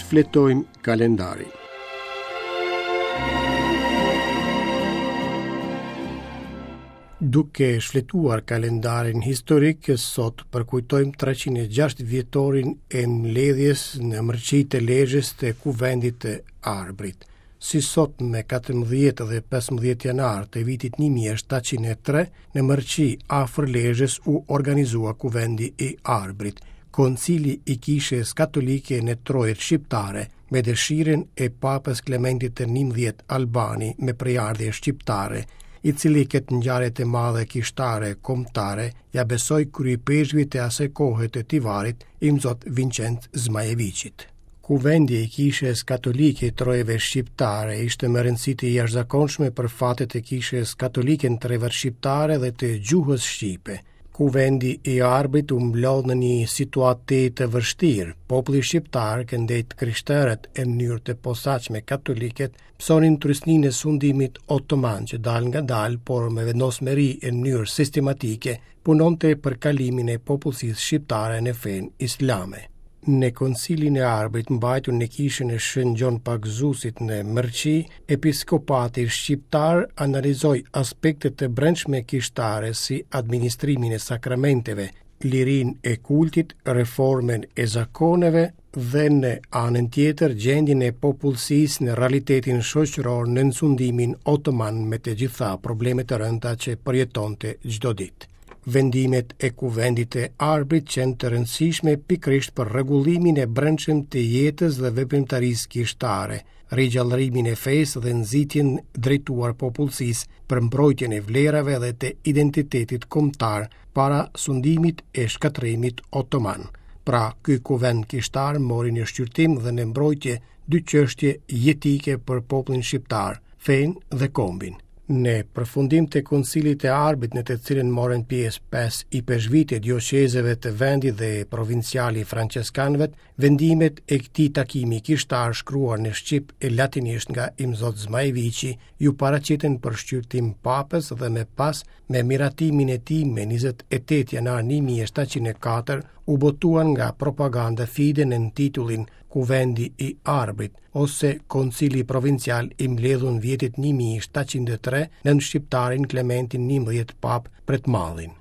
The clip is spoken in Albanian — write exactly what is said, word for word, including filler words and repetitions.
Shfletojmë kalendarin. Duke shfletuar kalendarin historik, sot përkujtojmë treqind e gjashtë vjetorin e mbledhjes në Mërqi të Lezhës të Kuvendit të Arbrit. Si sot me katërmbëdhjetë dhe pesëmbëdhjetë janar të vitit një mijë e shtatëqind e tre, në Mërqi afër Lezhës u organizua Kuvendi i Arbrit, koncili i Kishës Katolike në trojet shqiptare, me dëshirën e Papës Klementit të njëmbëdhjetë Albani me prejardhje shqiptare, i cili këtë ngjarje të madhe kishtare kombëtare ja besoi kryeipeshkvit të asaj kohe të Tivarit, Imzot Vincenc Zmajeviqit. Kuvendi i Kishës Katolike i Trojeve Shqiptare ishte me rëndësi të jashtëzakonshme për fatet e Kishës Katolike në trevat shqiptare dhe të gjuhës shqipe. Kuvendi i Arbrit u mblodh në një situatë të vështirë. Populli shqiptar, këndej të krishterët e mënyrë të posaçme katoliket, pësonin trysninë e sundimit otoman që dal nga dal, por me vendosmëri e mënyrë sistematike, punonte për kalimin e popullsisë shqiptare në fenë islame. Në koncilin e Arbrit mbajtur në kishën e Shën Gjon Pagëzuesit në Mërqi, episkopati shqiptar analizoi aspektet e brendshme kishtare si administrimin e sakramenteve, lirinë e kultit, reformën e zakoneve dhe në anën tjetër gjendjen e popullsisë në realitetin shoqëror nën sundimin otoman me të gjitha problemet e rënda që përjetonte çdo ditë. Vendimet e Kuvendit të Arbrit qenë të rëndësishme pikërisht për rregullimin e brendshëm të jetës dhe veprimtarisë kishtare, rigjallërimin e fesë dhe nxitjen drejtuar popullsisë për mbrojtjen e vlerave dhe të identitetit kombëtar para sundimit e shkatërrimit otoman. Pra, ky kuvend kishtar mori në shqyrtim dhe në mbrojtje dy çështje jetike për popullin shqiptar, fenë dhe kombin. Në përfundim të koncilit të Arbrit, në të cilin morën pjesë pesë ipeshkvit e dioqezeve të vendit dhe provinciali franceskanëve, vendimet e këtij takimi kishtar shkruar në shqip e latinisht nga Imzot Zmajeviqi ju paraqitën për shqyrtim papës dhe më pas me miratimin e tij me njëzet e tetë janar një mijë e shtatëqind e katër u botuan nga Propaganda Fide nën titullin Kuvendi i Arbrit ose Koncili Provincial i mbledhur në vjetit një mijë e shtatëqind e tre nën shqiptarin Klementin njëmbëdhjetë Papë Pretmadhin.